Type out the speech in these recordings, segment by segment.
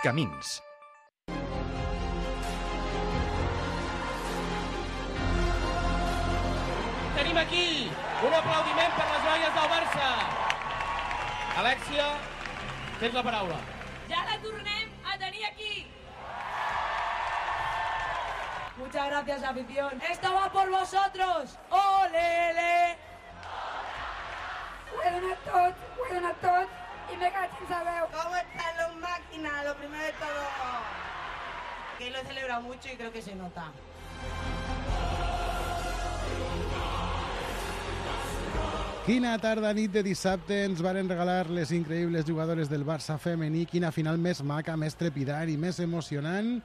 Camins. Tenim aquí un aplaudiment per les noies del Barça. Alexia, tens la paraula. Ja la tornem a tenir aquí. Muchas gracias, afición. Esto va por vosotros. ¡Olele! Ho he donat tot i me caig en sabeu. ¿Cómo están los máquinas? Lo primero de todo, que lo he celebrado mucho y creo que se nota. Quina tarda nit de dissabte ens varen regalar les increïbles jugadores del Barça femení. Quina final més maca, més trepidant i més emocionant.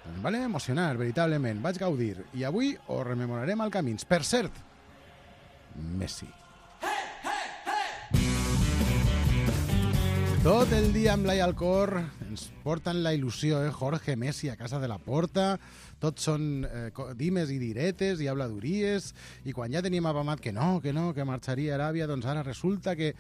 Em van emocionar, veritablement. Vaig gaudir. I avui ho rememorarem al Camins. Per cert, Messi. Tot el dia amb l'ai al cor ens porten la il·lusió, Jorge Messi a casa de la porta, tots són dimes i diretes i habladuries, i quan ja teníem apamat que marxaria a Aràbia, doncs ara resulta que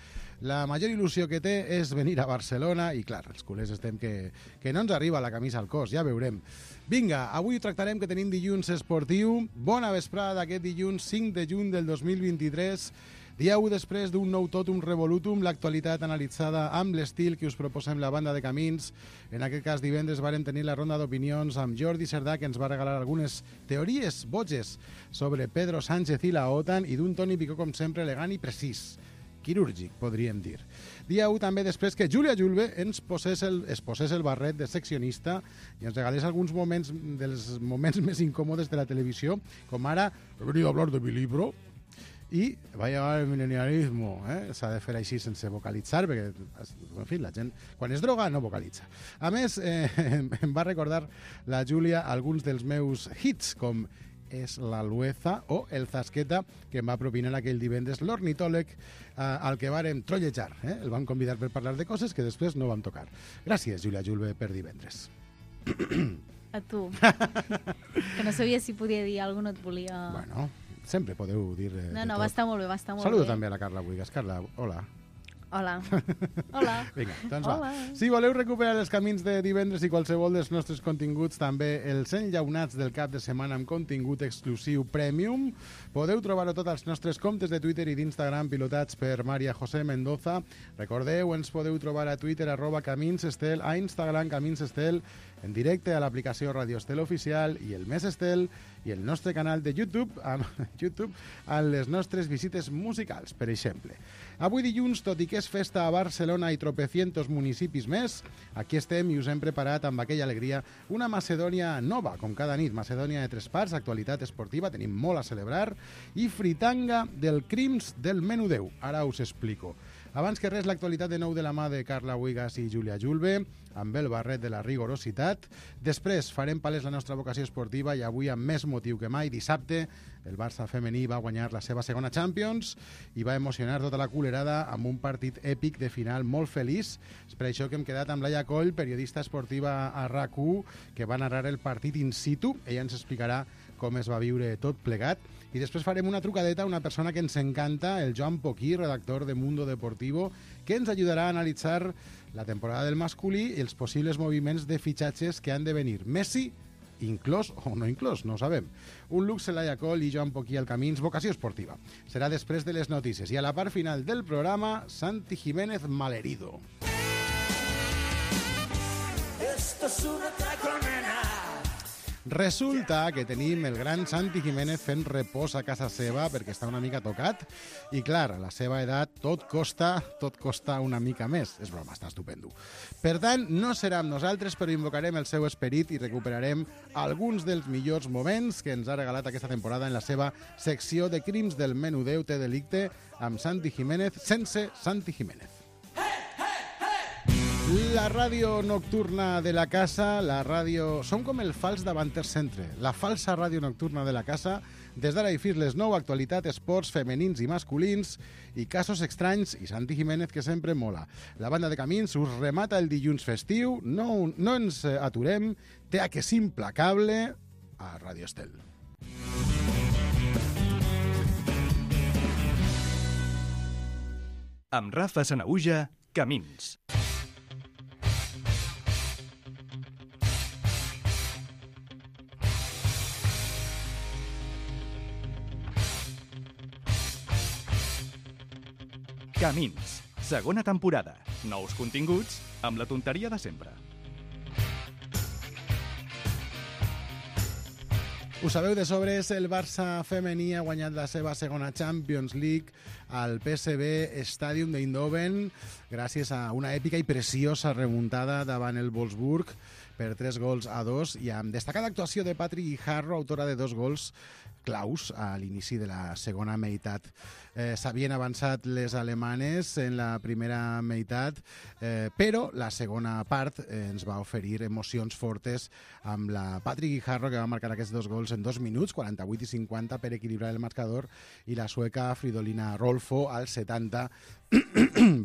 la major il·lusió que té és venir a Barcelona, i clar, els culers estem que no ens arriba la camisa al cos, ja veurem. Vinga, avui tractarem que tenim dilluns esportiu, bona vesprada d'aquest dilluns 5 de juny del 2023, dia 1 després d'un nou totum revolutum, l'actualitat analitzada amb l'estil que us proposem la banda de Camins. En aquest cas, divendres vàrem tenir la ronda d'opinions amb Jordi Cerdà, que ens va regalar algunes teories boges sobre Pedro Sánchez i la OTAN, i d'un Toni Picó, com sempre, elegant i precís. Quirúrgic, podríem dir. Dia 1 també després que Júlia Julve es posés el barret de seccionista i ens regalés alguns moments dels moments més incòmodes de la televisió, com ara he venido a hablar de mi libro, i va llegar el milenialismo, s'ha de fer així sense vocalitzar, perquè, en fi, la gent, quan es droga, no vocalitza. A més, em va recordar la Júlia alguns dels meus hits, com És la Lueza o El Zasqueta, que em va propinar aquell divendres l'ornitòleg al que vàrem trollejar. El van convidar per parlar de coses que després no vam tocar. Gràcies, Júlia Julve, per divendres. A tu. Que no sabia si podia dir alguna cosa, no et volia... Bueno, sempre podeu dir No, va estar molt bé, va estar molt bé. Saludo també a la Carla Buigas. Carla, hola. Hola. Hola. Vinga, doncs Hola. va. Si voleu recuperar els camins de divendres i qualsevol dels nostres continguts, també els enllaunats del cap de setmana amb contingut exclusiu premium, podeu trobar-ho tot als nostres comptes de Twitter i d'Instagram pilotats per Maria José Mendoza. Recordeu, ens podeu trobar a Twitter @CaminsEstel, a Instagram CaminsEstel, en directe a l'aplicació Radio Estel Oficial i el Més Estel, i el nostre canal de YouTube a les nostres visites musicals, per exemple. Avui dilluns, tot i que és festa a Barcelona i tropecientos municipis més, aquí estem i us hem preparat amb aquella alegria una Macedònia nova, com cada nit. Macedònia de 3 parts, actualitat esportiva, tenim molt a celebrar, i fritanga del Crims del Menú 10. Ara us explico. Abans que res, l'actualitat de nou de la mà de Carla Buigas i Júlia Julve, amb el barret de la rigorositat. Després farem palès la nostra vocació esportiva i avui, amb més motiu que mai, dissabte, el Barça femení va guanyar la seva segona Champions i va emocionar tota la culerada amb un partit èpic de final molt feliç. És per això que hem quedat amb Laia Coll, periodista esportiva a RAC1, que va narrar el partit in situ. Ella ens explicarà com es va viure tot plegat. I després farem una trucadeta a una persona que ens encanta, el Joan Poquí, redactor de Mundo Deportivo, que ens ajudarà a analitzar la temporada del masculí i els possibles moviments de fitxatges que han de venir. Messi, inclòs o no inclòs, no ho sabem. Un luxe, Laia Coll i Joan Poquí al Camins, vocació esportiva. Serà després de les notícies. I a la part final del programa, Santi Jiménez malherido. Esto es una colmena. Resulta que tenim el gran Santi Jiménez fent repòs a casa seva perquè està una mica tocat i, clar, a la seva edat tot costa una mica més. És broma, està estupendo. Per tant, no serà amb nosaltres, però invocarem el seu esperit i recuperarem alguns dels millors moments que ens ha regalat aquesta temporada en la seva secció de Crims del Menú 10 té delicte amb Santi Jiménez sense Santi Jiménez. La ràdio nocturna de la casa, la ràdio... Som com el fals davanter centre, la falsa ràdio nocturna de la casa, des d'ara i fins les 9, actualitat, esports femenins i masculins, i casos estranys, i Santi Jiménez, que sempre mola. La banda de Camins us remata el dilluns festiu, no ens aturem, té que és implacable a Ràdio Estel. Amb Rafa Sanaüja, Camins. Camins, segona temporada. Nous continguts amb la tonteria de sempre. Ho sabeu de sobres, el Barça femení ha guanyat la seva segona Champions League al PSV Stadium d'Eindhoven gràcies a una èpica i preciosa remuntada davant el Wolfsburg per 3-2 i amb destacada actuació de Patrick Guijarro, autora de 2 gols claus a l'inici de la segona meitat. S'havien avançat les alemanes en la primera meitat, però la segona part ens va oferir emocions fortes amb la Patrick Guijarro, que va marcar aquests 2 gols en 2 minuts, 48 i 50, per equilibrar el marcador, i la sueca Fridolina Rolfo, al 70,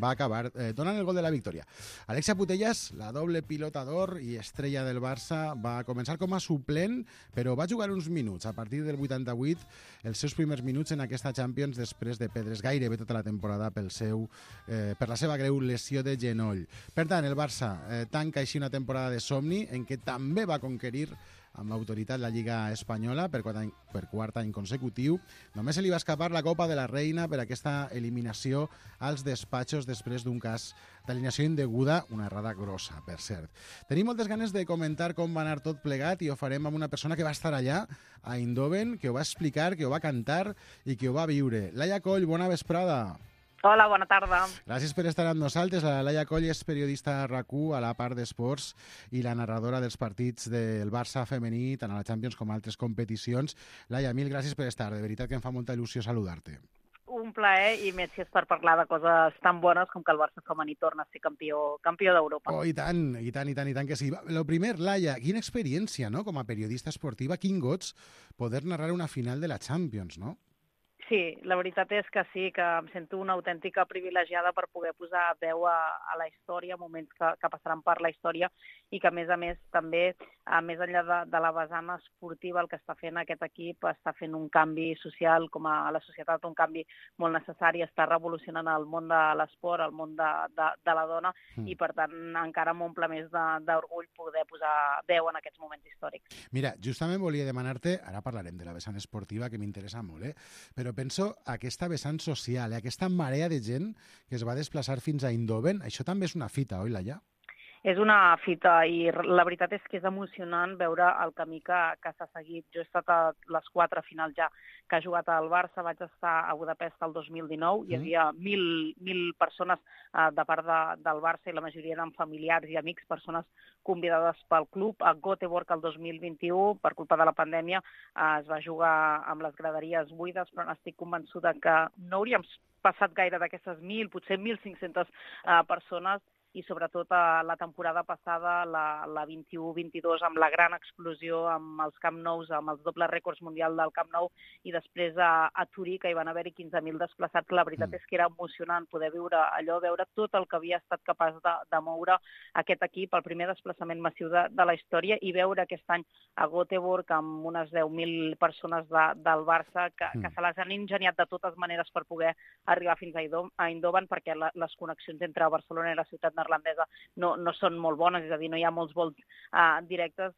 va acabar donant el gol de la victòria. Alexia Putellas, la doble pilota d'or i estrella del Barça, va començar com a suplent, però va jugar uns minuts. A partir del 88, els seus primers minuts en aquesta Champions, després de perdre's gairebé tota la temporada per la seva greu lesió de genoll. Per tant, el Barça tanca així una temporada de somni en què també va conquerir amb autoritat la Lliga Espanyola per quart any consecutiu. Només se li va escapar la Copa de la Reina per aquesta eliminació als despatxos després d'un cas d'alineació indeguda, una errada grossa, per cert. Tenim moltes ganes de comentar com va anar tot plegat i ho farem amb una persona que va estar allà, a Eindhoven, que ho va explicar, que ho va cantar i que ho va viure. Laia Coll, bona vesprada. Hola, bona tarda. Gràcies per estar amb nosaltres. La Laia Coll és periodista a RAC1 a la part d'esports i la narradora dels partits del Barça femení, tant a la Champions com a altres competicions. Laia, mil gràcies per estar. De veritat que em fa molta il·lusió saludar-te. Un plaer, i més si és per parlar de coses tan bones com que el Barça femení torna a ser campió d'Europa. Oh, i tant que sí. Lo primer, Laia, quina experiència, no?, com a periodista esportiva, quin goig poder narrar una final de la Champions, no? Sí, la veritat és que sí, que em sento una autèntica privilegiada per poder posar veu a la història, moments que passaran per la història, i que, a més, també, més enllà de la vessant esportiva, el que està fent aquest equip està fent un canvi social, com a la societat, un canvi molt necessari, està revolucionant el món de l'esport, el món de la dona, i per tant encara m'omple més d'orgull poder posar veu en aquests moments històrics. Mira, justament volia demanar-te, ara parlarem de la vessant esportiva, que m'interessa molt, però penso aquesta vessant social, aquesta marea de gent que es va desplaçar fins a Eindhoven. Això també és una fita, oi, Laia? És una fita, i la veritat és que és emocionant veure el camí que s'ha seguit. Jo he estat a les 4 finals ja que ha jugat al Barça, vaig estar a Budapest el 2019, hi havia 1.000 persones de part del Barça, i la majoria eren familiars i amics, persones convidades pel club. A Göteborg el 2021, per culpa de la pandèmia, es va jugar amb les graderies buides, però n'estic convençuda que no hauríem passat gaire d'aquestes 1.000, potser 1.500 persones, i sobretot la temporada passada, la 21-22, amb la gran explosió, amb els Camp Nous, amb els dobles rècords mundial del Camp Nou, i després a Turí, que hi van haver-hi 15.000 desplaçats. La veritat és que era emocionant poder viure allò, veure tot el que havia estat capaç de moure aquest equip, el primer desplaçament massiu de la història, i veure aquest any a Göteborg amb unes 10.000 persones del Barça que se les han ingeniat de totes maneres per poder arribar fins a Eindhoven, perquè les connexions entre Barcelona i la ciutat neerlandesa no són molt bones, és a dir, no hi ha molts vols directes,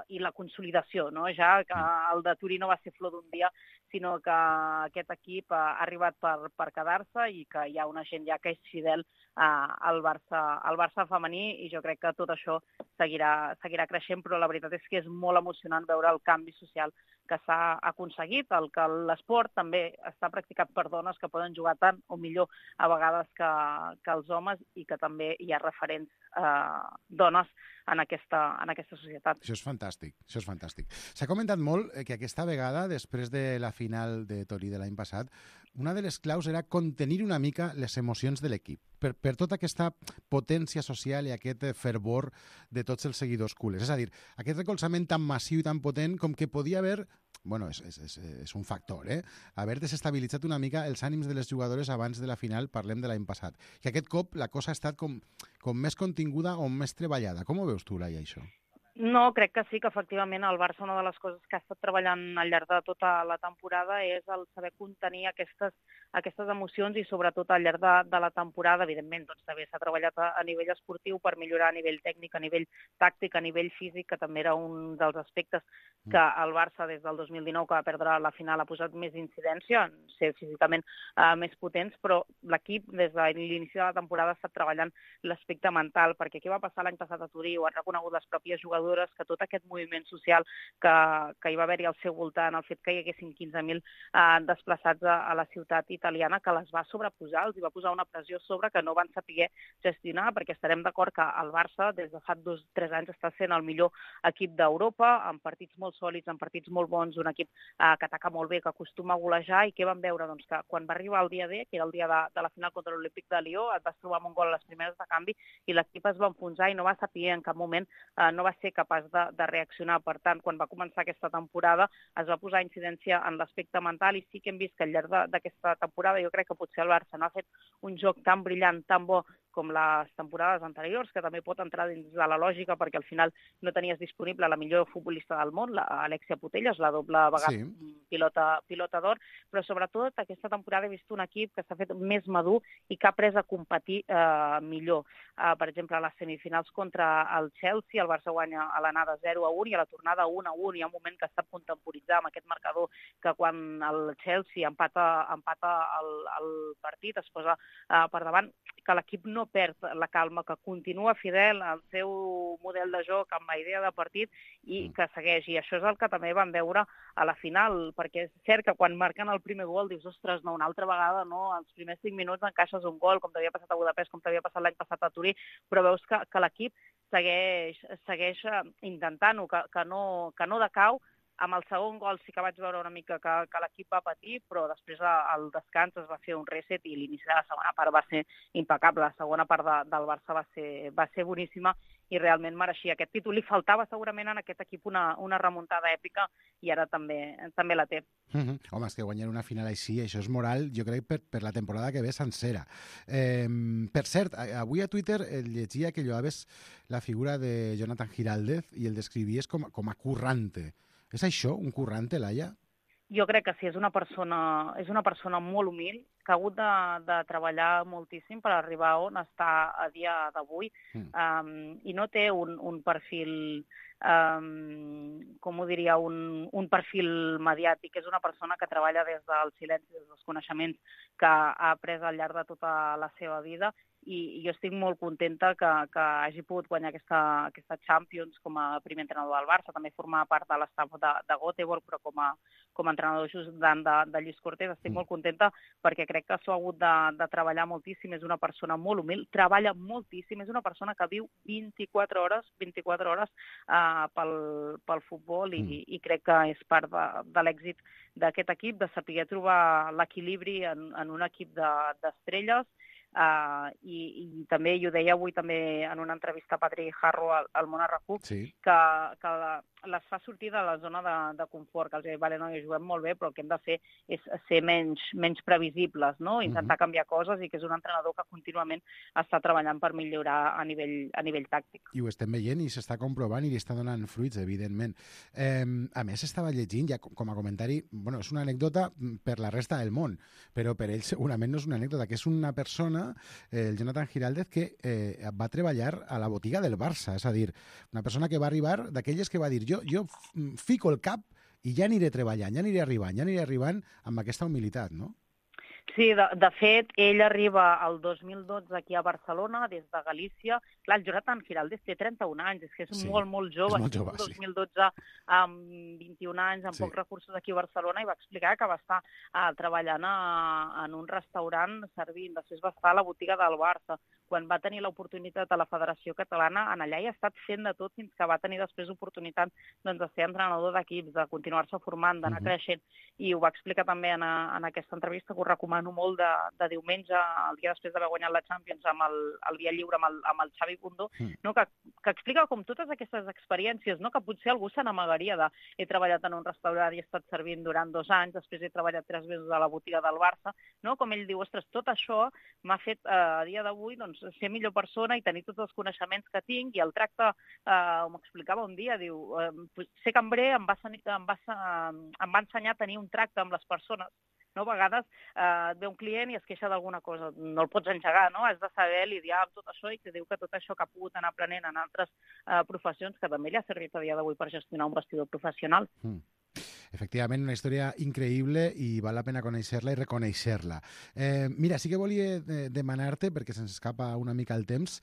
i la consolidació, no? Ja que el de Turí no va ser flor d'un dia, sinó que aquest equip ha arribat per quedar-se, i que hi ha una gent ja que és fidel al Barça femení, i jo crec que tot això seguirà creixent, però la veritat és que és molt emocionant veure el canvi social que s'ha aconseguit, el que l'esport també està practicat per dones que poden jugar tant o millor a vegades que els homes, i que també hi ha referents dones en aquesta societat. Això és fantàstic, això és fantàstic. S'ha comentat molt que aquesta vegada, després de la final de Torí de l'any passat, una de les claus era contenir una mica les emocions de l'equip, per tota aquesta potència social i aquest fervor de tots els seguidors culers. És a dir, aquest recolzament tan massiu i tan potent com que podia haver, bueno, és un factor, haver desestabilitzat una mica els ànims de les jugadores abans de la final, parlem de l'any passat. I aquest cop la cosa ha estat com més continguda o més treballada. Com ho veus tu, Laia, això? No, crec que sí, que efectivament el Barça una de les coses que ha estat treballant al llarg de tota la temporada és el saber contenir aquestes emocions i sobretot al llarg de la temporada, evidentment, doncs també s'ha treballat a nivell esportiu per millorar a nivell tècnic, a nivell tàctic, a nivell físic, que també era un dels aspectes que el Barça des del 2019, que va perdre la final, ha posat més incidència en ser físicament més potents, però l'equip des de l'inici de la temporada ha estat treballant l'aspecte mental, perquè què va passar l'any passat a Turí, ho han reconegut les pròpies jugadores, que tot aquest moviment social que hi va haver-hi al seu voltant, el fet que hi haguessin 15.000 desplaçats a la ciutat italiana, que les va sobreposar, els hi va posar una pressió sobre que no van saber gestionar, perquè estarem d'acord que el Barça des de fa 2-3 anys està sent el millor equip d'Europa, amb partits molt sòlids, amb partits molt bons, un equip que ataca molt bé, que acostuma a golejar, i què vam veure? Doncs que quan va arribar el dia D, que era el dia de la final contra l'Olímpic de Lió, et vas trobar amb un gol a les primeres de canvi i l'equip es va enfonsar i no va saber en cap moment, no va ser capaç de reaccionar. Per tant, quan va començar aquesta temporada es va posar incidència en l'aspecte mental i sí que hem vist que al llarg d'aquesta temporada jo crec que potser el Barça no ha fet un joc tan brillant, tan bo com les temporades anteriors, que també pot entrar dins de la lògica perquè al final no tenies disponible la millor futbolista del món, l'Alexia Putellas, la doble vegada pilota d'or, però sobretot aquesta temporada he vist un equip que s'ha fet més madur i que ha après a competir millor. Per exemple, a les semifinals contra el Chelsea, el Barça guanya a l'anada 0-1 i a la tornada 1-1. Hi ha un moment que està a contemporitzar amb aquest marcador que quan el Chelsea empata el partit, es posa per davant, que l'equip no perd la calma, que continua fidel al seu model de joc, amb la idea de partit i que segueix. I això és el que també vam veure a la final, perquè és cert que quan marquen el primer gol dius, ostres, no, una altra vegada, no, als primers 5 minuts encaixes un gol, com t'havia passat a Budapest, com t'havia passat l'any passat a Turí, però veus que l'equip segueix intentant-ho, que no decau. Amb el segon gol sí que vaig veure una mica que l'equip va patir, però després al descans es va fer un reset i l'inici de la segona part va ser impecable. La segona part del Barça va ser boníssima i realment mereixia aquest títol. Li faltava segurament en aquest equip una remuntada èpica i ara també la té. Home, és que guanyar una final així, això és moral, jo crec, per la temporada que ve sencera. Per cert, avui a Twitter llegia que lloaves la figura de Jonathan Giraldez i el descrivies com a currante. És això, un currante, Laia? Jo crec que sí, és una persona molt humil, que ha hagut de treballar moltíssim per arribar on està a dia d'avui i no té un perfil, com ho diria, un perfil mediàtic. És una persona que treballa des del silenci, des dels coneixements que ha après al llarg de tota la seva vida i jo estic molt contenta que hagi pogut guanyar aquesta Champions com a primer entrenador del Barça, també formar part de l'estaf de Göteborg, però com a entrenador ajudant de Lluís Cortés. Estic molt contenta perquè crec que s'ho ha hagut de treballar moltíssim. És una persona molt humil, treballa moltíssim, és una persona que viu 24 hores pel futbol i crec que és part de l'èxit d'aquest equip, de saber trobar l'equilibri en un equip d'estrelles. I també, i ho deia avui també en una entrevista a Patri Harro al Món RQ, que les fa sortir de la zona de confort, que els diu, vale, no, juguem molt bé, però el que hem de fer és ser menys previsibles, no? Intentar canviar coses, i que és un entrenador que contínuament està treballant per millorar a nivell tàctic. I ho estem veient i s'està comprovant i li està donant fruits, evidentment. A més, estava llegint, ja com a comentari, bueno, és una anècdota per la resta del món, però per ell segurament no és una anècdota, que és una persona, el Jonathan Giraldez, que va treballar a la botiga del Barça, és a dir, una persona que va arribar, d'aquelles que va dir, jo fico el cap i ja aniré treballant, ja aniré arribant amb aquesta humilitat, no? Sí, de fet, ell arriba el 2012 aquí a Barcelona, des de Galícia. Clar, el Jonathan Giraldez té 31 anys, és que és molt jove. És molt jove, sí. 2012, amb 21 anys, amb pocs recursos aquí a Barcelona, i va explicar que va estar treballant en un restaurant servint. Després va estar a la botiga del Barça. Quan va tenir l'oportunitat a la Federació Catalana, en allà hi ha estat fent de tot fins que va tenir després oportunitat de ser entrenador d'equips, de continuar-se formant, d'anar creixent. I ho va explicar també en aquesta entrevista, que ho recomano molt, de diumenge, el dia després d'haver guanyat la Champions, amb el dia lliure amb el Xavi Bundó, no? que explica com totes aquestes experiències, no? Que potser algú se n'amagaria de he treballat en un restaurant i he estat servint durant 2 anys, després he treballat 3 mesos a la botiga del Barça, no? Com ell diu, ostres, tot això m'ha fet a dia d'avui doncs, ser millor persona i tenir tots els coneixements que tinc, i el tracte, m'explicava un dia, diu, ser cambrer em va ensenyar a tenir un tracte amb les persones. No? A vegades ve un client i es queixa d'alguna cosa, no el pots engegar, no? Has de saber lidiar amb tot això, i que diu que tot això que ha pogut anar aprenent en altres professions, que també li ha servit a dia d'avui per gestionar un vestidor professional. Efectivament, una història increïble i val la pena conèixer-la i reconèixer-la. Mira, sí que volia demanar-te, perquè se'ns escapa una mica el temps,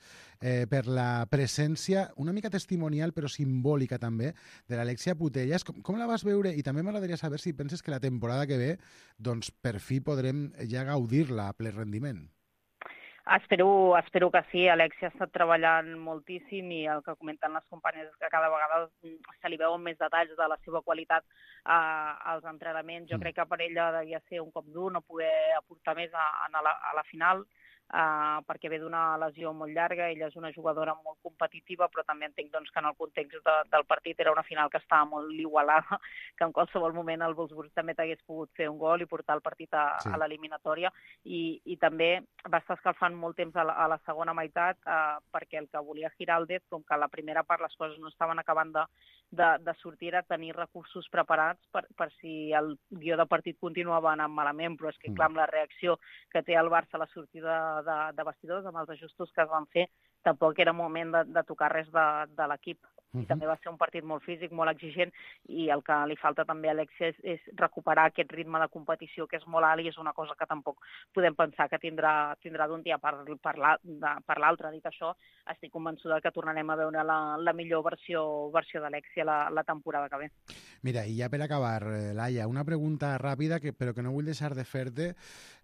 per la presència, una mica testimonial però simbòlica també, de l'Alexia Putellas. Com la vas veure? I també m'agradaria saber si penses que la temporada que ve, doncs per fi podrem ja gaudir-la a ple rendiment. Espero que sí. Alexia ha estat treballant moltíssim, i el que comenten les companyes és que cada vegada se li veuen més detalls de la seva qualitat als entrenaments. Jo crec que per ella devia ser un cop dur no poder aportar més a la final, perquè ve d'una lesió molt llarga. Ella és una jugadora molt competitiva, però també entenc doncs, que en el context del partit era una final que estava molt igualada, que en qualsevol moment el Wolfsburg també t'hagués pogut fer un gol i portar el partit a l'eliminatòria, i també va estar escalfant molt temps a la segona meitat, perquè el que volia Giraldez, com que a la primera part les coses no estaven acabant de sortir, era tenir recursos preparats per si el guió de partit continuava anant malament, però és que clar, amb la reacció que té el Barça a la sortida de vestidors, amb els ajustos que es van fer, tampoc era moment de tocar res de l'equip. I també va ser un partit molt físic, molt exigent, i el que li falta també a Alexia és recuperar aquest ritme de competició que és molt alt, i és una cosa que tampoc podem pensar que tindrà d'un dia per l'altre. Dit això, estic convençuda que tornarem a veure la millor versió d'Alexia la temporada que ve. Mira, i ja per acabar, Laia, una pregunta ràpida, però que no vull deixar de fer-te,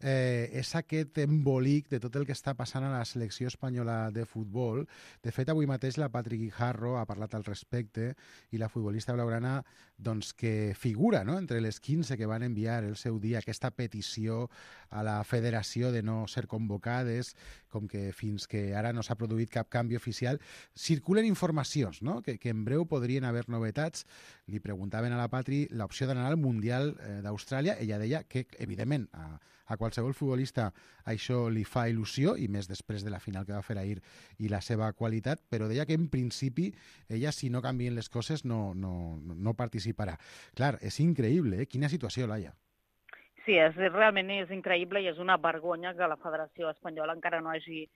és aquest embolic de tot el que està passant a la selecció espanyola de futbol. De fet, avui mateix la Patri Guijarro ha parlat al respecte, i la futbolista blaugrana doncs, que figura, no?, entre les 15 que van enviar el seu dia aquesta petició a la federació de no ser convocades, com que fins que ara no s'ha produït cap canvi oficial. Circulen informacions, no?, que en breu podrien haver novetats. Li preguntaven a la Patri l'opció d'anar al Mundial d'Austràlia. Ella deia que, evidentment, a qualsevol futbolista això li fa il·lusió, i més després de la final que va fer ahir i la seva qualitat, però deia que en principi ella, si no canvien les coses, no participarà. Clar, és increïble, Quina situació, Laia. Sí, realment és increïble, i és una vergonya que la Federació Espanyola encara no hagi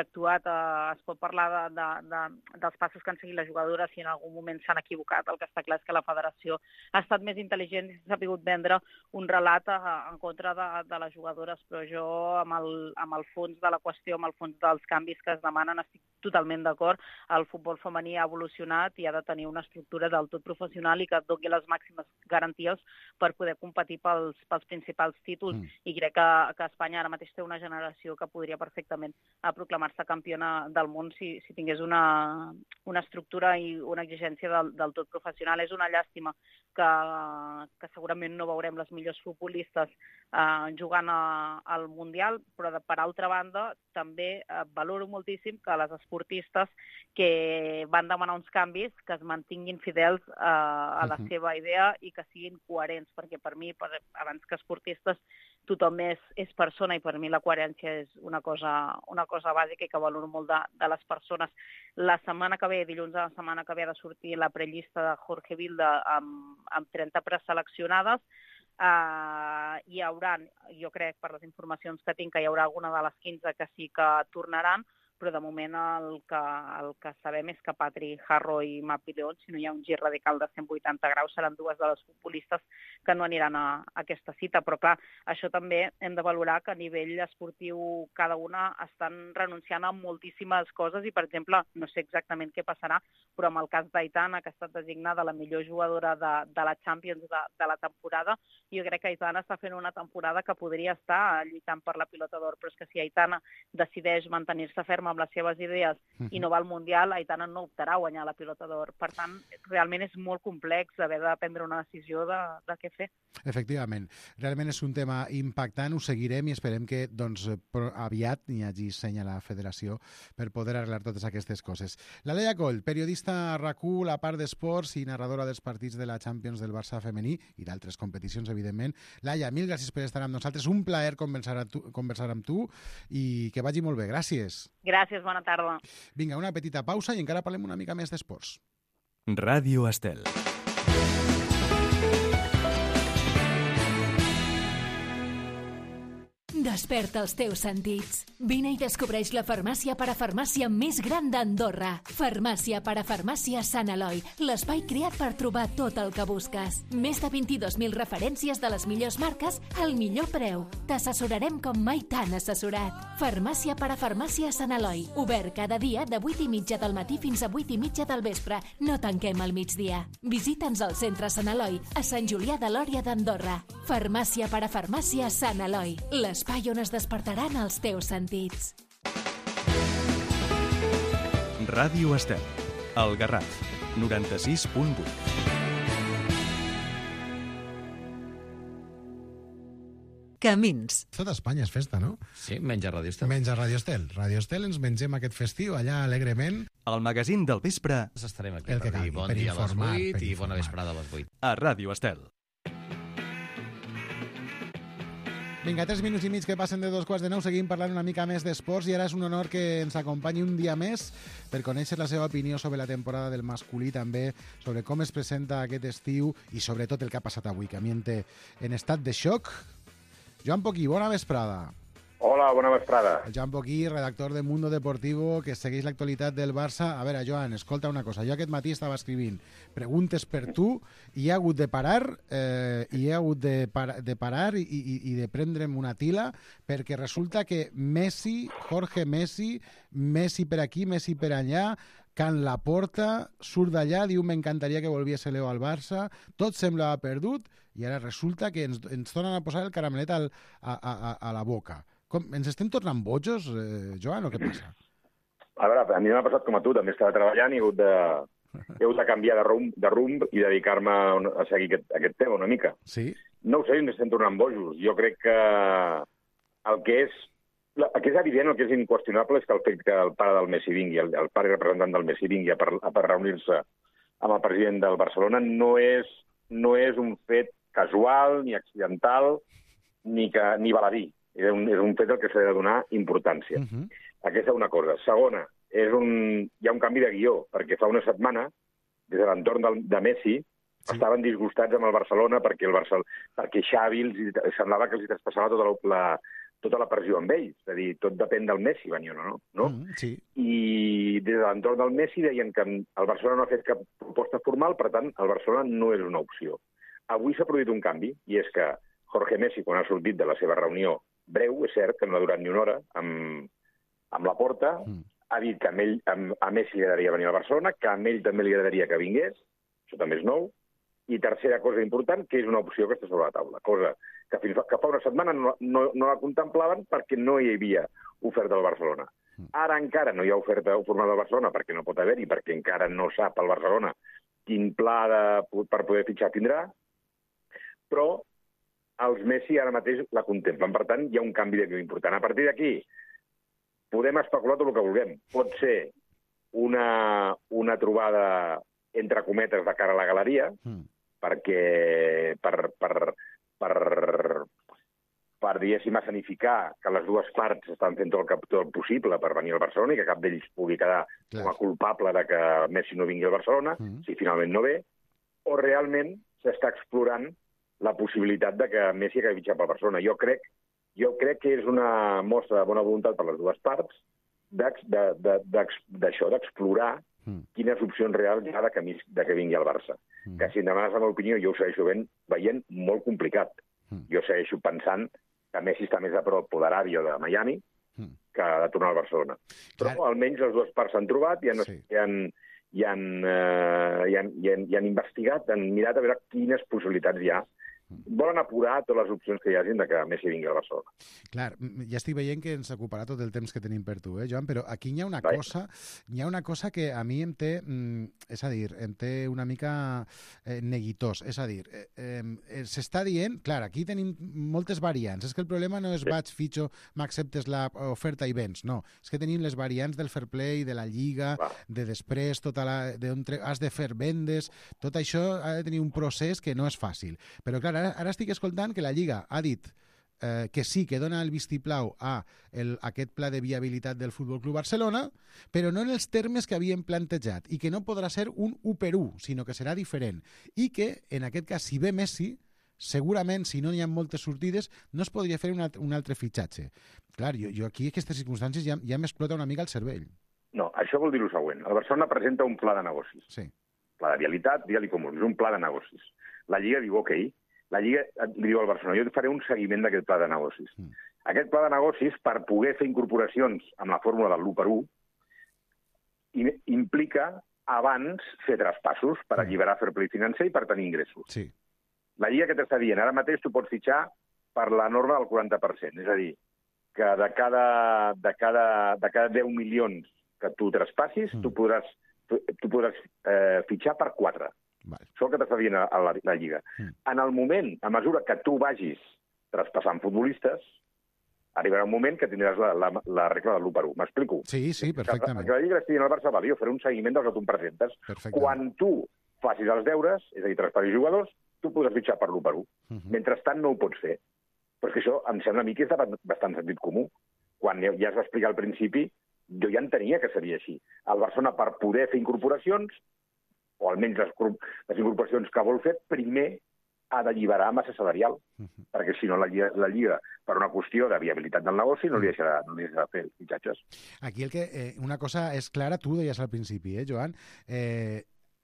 actuat. Es pot parlar dels passos que han seguit les jugadores, si en algun moment s'han equivocat. El que està clar és que la Federació ha estat més intel·ligent i s'ha sabut vendre un relat en contra de les jugadores, però jo amb el fons de la qüestió, amb el fons dels canvis que es demanen, estic totalment d'acord. El futbol femení ha evolucionat i ha de tenir una estructura del tot professional i que et doni les màximes garanties per poder competir pels principals títols, i crec que Espanya ara mateix té una generació que podria perfectament proclamar-se campiona del món si tingués una estructura i una exigència del tot professional. És una llàstima que segurament no veurem les millors futbolistes jugant al Mundial, però per altra banda també valoro moltíssim que les esportistes que van demanar uns canvis que es mantinguin fidels a la seva idea i que siguin coherents, perquè per mi, abans que esportistes, tothom és persona, i per mi la coherència és una cosa bàsica i que valoro molt de les persones. La setmana que ve, dilluns de la setmana que ve, ha de sortir la prellista de Jorge Vilda amb 30 preseleccionades. Hi haurà, jo crec, per les informacions que tinc, que hi haurà alguna de les 15 que sí que tornaran, però de moment el que sabem és que Patri Guijarro i Mapi León, si no hi ha un gir radical de 180 graus, seran dues de les futbolistes que no aniran a aquesta cita. Però clar, això també hem de valorar que a nivell esportiu cada una estan renunciant a moltíssimes coses, i per exemple, no sé exactament què passarà, però en el cas d'Aitana, que ha estat designada la millor jugadora de la Champions de la temporada, jo crec que Aitana està fent una temporada que podria estar lluitant per la pilota d'or, però és que si Aitana decideix mantenir-se ferma amb les seves idees i no va al Mundial, Aitana no optarà a guanyar la pilota d'or. Per tant, realment és molt complex haver de prendre una decisió de què fer. Efectivament. Realment és un tema impactant, ho seguirem i esperem que aviat hi hagi seny a la federació per poder arreglar totes aquestes coses. La Laia Coll, periodista a RAC1, la part d'esports i narradora dels partits de la Champions del Barça femení i d'altres competicions, evidentment. Laia, mil gràcies per estar amb nosaltres. Un plaer conversar amb tu i que vagi molt bé. Gràcies. Gràcies. Gràcies, bona tarda. Vinga, una petita pausa i encara parlem una mica més d'esports. Ràdio Estel. Desperta els teus sentits. Vine i descobreix la farmàcia parafarmàcia més gran d'Andorra. Farmàcia parafarmàcia Sant Eloi, l'espai creat per trobar tot el que busques. Més de 22.000 referències de les millors marques al millor preu. T'assessorarem com mai t'han assessorat. Farmàcia parafarmàcia Sant Eloi, obert cada dia de 8:30 del matí fins a 8:30 del vespre. No tanquem al migdia. Visita'ns al centre Sant Eloi, a Sant Julià de Lòria d'Andorra. Farmàcia parafarmàcia Sant Eloi, l'espai on es despertaran els teus sentits. Ràdio Estel. El Garraf. 96.8. Camins. Tot Espanya és festa, no? Sí, menys a Ràdio Estel. Menys a Ràdio Estel. Ràdio Estel ens mengem aquest festiu allà alegrement. El magazín del vespre. Estarem aquí El que per dir calgui, bon per dia informar, a les 8 per i informar. bona vesprada a les 8. A Ràdio Estel. Vinga, 3 minuts i mig que passen de 2:15. Seguim parlant una mica més d'esports i ara és un honor que ens acompanyi un dia més per conèixer la seva opinió sobre la temporada del masculí, també sobre com es presenta aquest estiu i sobretot el que ha passat avui, que a mi em té en estat de xoc. Joan Poquí, bona vesprada. Hola, bona vesprada. El Joan Poquí, redactor de Mundo Deportivo, que segueix l'actualitat del Barça. A veure, Joan, escolta una cosa. Jo aquest matí estava escrivint preguntes per tu i he hagut de parar i de prendre'm una tila perquè resulta que Messi, Jorge Messi, Messi per aquí, Messi per allà, Can Laporta, surt d'allà, diu m'encantaria que volviese Leo al Barça, tot semblava perdut i ara resulta que ens tornen a posar el caramelet a la boca. Ens estem tornant bojos, Joan, o què passa? A veure, a mi m'ha passat com a tu, també estava treballant i he hagut de canviar de rumb i dedicar-me a seguir aquest tema una mica. Sí? No ho sé, ens estem tornant bojos. Jo crec que el que és evident, el que és inqüestionable és que el fet que el pare del Messi vingui, el pare representant del Messi vingui per reunir-se amb el president del Barcelona no és un fet casual, ni accidental, ni baladí. És un fet al que s'ha de donar importància. Aquesta és una cosa. Segona, hi ha un canvi de guió, perquè fa una setmana, des de l'entorn de Messi, estaven disgustats amb el Barcelona perquè Xavi semblava que els traspassava tota la pressió amb ells. És a dir, tot depèn del Messi, venir o no? Sí. I des de l'entorn del Messi deien que el Barcelona no ha fet cap proposta formal, per tant, el Barcelona no és una opció. Avui s'ha produït un canvi, i és que Jorge Messi, quan ha sortit de la seva reunió breu, és cert que no ha durat ni una hora, amb Laporta, ha dit que a Messi li agradaria venir a Barcelona, que a ell també li agradaria que vingués, això també és nou, i tercera cosa important, que és una opció que està sobre la taula, cosa que fa una setmana no la contemplaven perquè no hi havia oferta del Barcelona. Ara encara no hi ha oferta formal del Barcelona perquè no pot haver-hi, perquè encara no sap el Barcelona quin pla per poder fitxar tindrà, però els Messi ara mateix la contemplen. Per tant, hi ha un canvi de guió important. A partir d'aquí, podem especular tot el que vulguem. Pot ser una trobada entre cometes de cara a la galeria, perquè per diguéssim, escenificar que les dues parts estan fent tot el possible per venir al Barcelona i que cap d'ells pugui quedar com a culpable de que Messi no vingui al Barcelona, si finalment no ve, o realment s'està explorant la possibilitat de que Messi acabi fitxat pel Barcelona. Jo crec que és una mostra de bona voluntat per les dues parts d'això, d'explorar quines opcions reals hi ha de que vingui al Barça. Que si em demanes la meva opinió, jo ho segueixo veient molt complicat. Jo segueixo pensant que Messi està més a prop de l'Aràbia o de Miami que de tornar al Barcelona. Però almenys les dues parts s'han trobat i han investigat, han mirat a veure quines possibilitats hi ha. Volen apurar totes les opcions que hi hagin de que Messi vingui a Barcelona. Clar, ja estic veient que ens ocuparà tot el temps que tenim per tu, Joan, però aquí hi ha una cosa que a mi em té, és a dir, em té una mica neguitós. És a dir, s'està dient, clar, aquí tenim moltes variants. És que el problema no és vaig, fitxo, m'acceptes l'oferta i vens. No, és que tenim les variants del fair play, de la Lliga, de després, has de fer vendes, tot això ha de tenir un procés que no és fàcil. Però clar, ara estic escoltant que la Lliga ha dit que sí que dona el vistiplau a aquest pla de viabilitat del Futbol Club Barcelona, però no en els termes que havien plantejat, i que no podrà ser un 1-1, sinó que serà diferent. I que, en aquest cas, si ve Messi, segurament, si no n'hi ha moltes sortides, no es podria fer un altre fitxatge. Clar, jo aquí, en aquestes circumstàncies, ja m'explota una mica el cervell. No, això vol dir el següent. El Barcelona presenta un pla de negocis. Sí. Pla de vialitat, digue-li com vulguis, un pla de negocis. La Lliga diu, ok, la Lliga li diu al Barcelona, jo et faré un seguiment d'aquest pla de negocis. Aquest pla de negocis, per poder fer incorporacions amb la fórmula del l'1-1, implica abans fer traspassos per alliberar fair play financer i per tenir ingressos. Sí. La Lliga que t'està dient, ara mateix tu pots fitxar per la norma del 40%, és a dir, que de cada 10 milions que tu traspassis, tu podràs fitxar per 4. Vale. Això el que t'està dient a la Lliga. En el moment, a mesura que tu vagis traspassant futbolistes, arribarà un moment que tindràs la regla de l'1-1. M'explico? Sí, perfectament. Que la Lliga estigui en el Barça, jo faré un seguiment dels que tu em presentes. Quan tu facis els deures, és a dir, traspassis jugadors, tu podràs fitxar per l'1-1. Mentrestant no ho pots fer. Però és que això em sembla a mi que és de bastant sentit comú. Quan ja es va explicar al principi, jo ja entenia que seria així. El Barcelona, per poder fer incorporacions, o almenys les incorporacions que vol fer, primer ha d'alliberar massa salarial, perquè si no la Lliga, per una qüestió de viabilitat del negoci, no li deixarà fer fitxatges. Aquí una cosa és clara, tu ho deies al principi, Joan,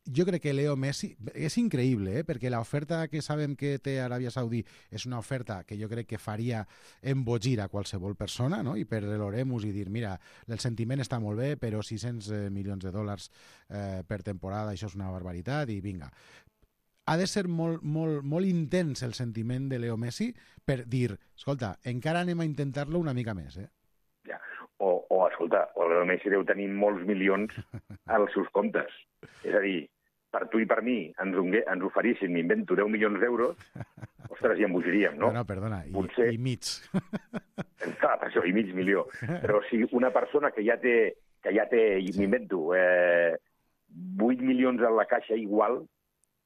jo crec que Leo Messi és increïble, perquè l'oferta que sabem que té Aràbia Saudí és una oferta que jo crec que faria embogir a qualsevol persona, no? I per l'oremus i dir, mira, el sentiment està molt bé, però 600 milions de dòlars per temporada, això és una barbaritat, i vinga. Ha de ser molt intens el sentiment de Leo Messi per dir, escolta, encara anem a intentar-lo una mica més, Ja. Escolta, o Leo Messi deu tenir molts milions als seus comptes. És a dir, per tu i per mi ens oferissin, m'invento, 10 milions d'euros, ostres, ja embogiríem, no? No, perdona, potser... i mig. Clar, per això, i mig milió. Però si una persona que ja té m'invento, 8 milions a la caixa igual,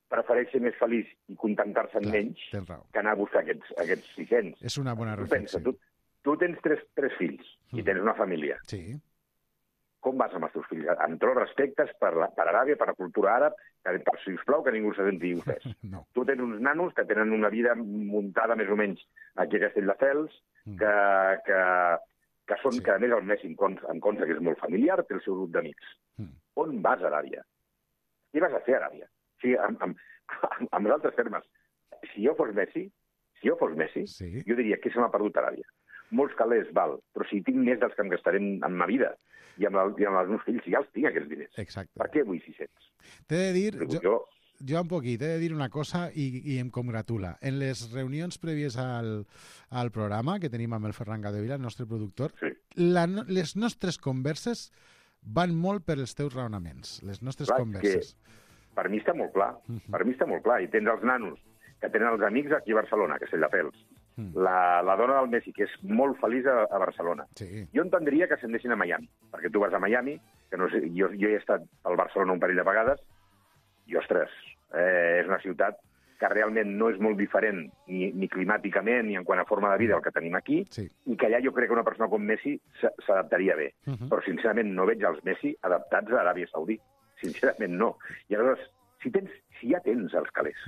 prefereix ser més feliç i contentar-se en menys que anar a buscar aquests 600. És una bona reflexió. Tu tens tres fills i tens una família. Sí. Com vas amb els teus fills? Amb tots els respectes per Aràbia, per la cultura àrab, per, sisplau, que ningú se senti ofès. No. Tu tens uns nanos que tenen una vida muntada més o menys aquí a Castelldefels, que són, que a més el Messi em consta que és molt familiar, té el seu grup d'amics. On vas a Aràbia? Què vas a fer a Aràbia? O sigui, amb altres termes, si jo fos Messi, jo diria que se m'ha perdut Aràbia. Molts calés, val, però si tinc més dels que em gastaré en ma vida i amb els meus fills, ja els tinc, aquests diners. Exacte. Per què vull 600? T'he de dir, Joan Poquí, t'he de dir una cosa i em congratula. En les reunions prèvies al programa que tenim amb el Ferran Gadevila, el nostre productor, les nostres converses van molt per els teus raonaments. Les nostres converses. Per mi està molt clar. Per mi està molt clar. I tens els nanos que tenen els amics aquí a Barcelona, que és Castelldefels. La dona del Messi, que és molt feliç a Barcelona. Sí. Jo entendria que s'endessin a Miami, perquè tu vas a Miami, que no sé, jo he estat al Barcelona un parell de vegades, i, ostres, és una ciutat que realment no és molt diferent ni climàticament ni en quant a forma de vida el que tenim aquí, i que allà jo crec que una persona com Messi s'adaptaria bé. Però, sincerament, no veig els Messi adaptats a Aràbia Saudí. Sincerament, no. I aleshores, si ja tens els calés,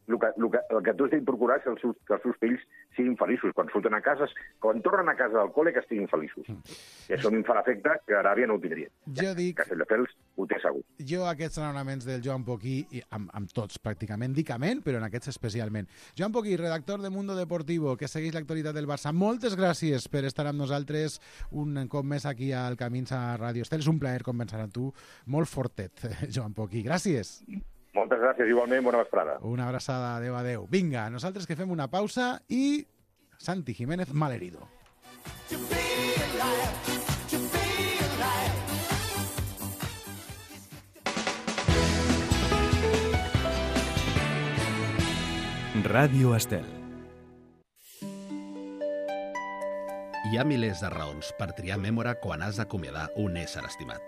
el que tu has de procurar és que els seus fills siguin feliços. Quan surten a casa, quan tornen a casa del col·le, que estiguin feliços. I això a mi em fa l'efecte que Aràbia no ho tindria. Jo dic... Castelldefels ho té segur. Jo aquests raonaments del Joan Poquí, amb tots pràcticament, dic amén, però en aquests especialment. Joan Poquí, redactor de Mundo Deportivo, que segueix l'actualitat del Barça, moltes gràcies per estar amb nosaltres un cop més aquí al Camins a Ràdio Estel. És un plaer conversar amb tu, molt fortet, Joan Poquí. Gràcies. Moltes gràcies, igualment, bona vesprada. Una abraçada, adeu. Vinga, nosaltres que fem una pausa i Santi Jiménez malherido. Ràdio Estel. Hi ha milers de raons per triar Mémora quan has d'acomiadar un ésser estimat.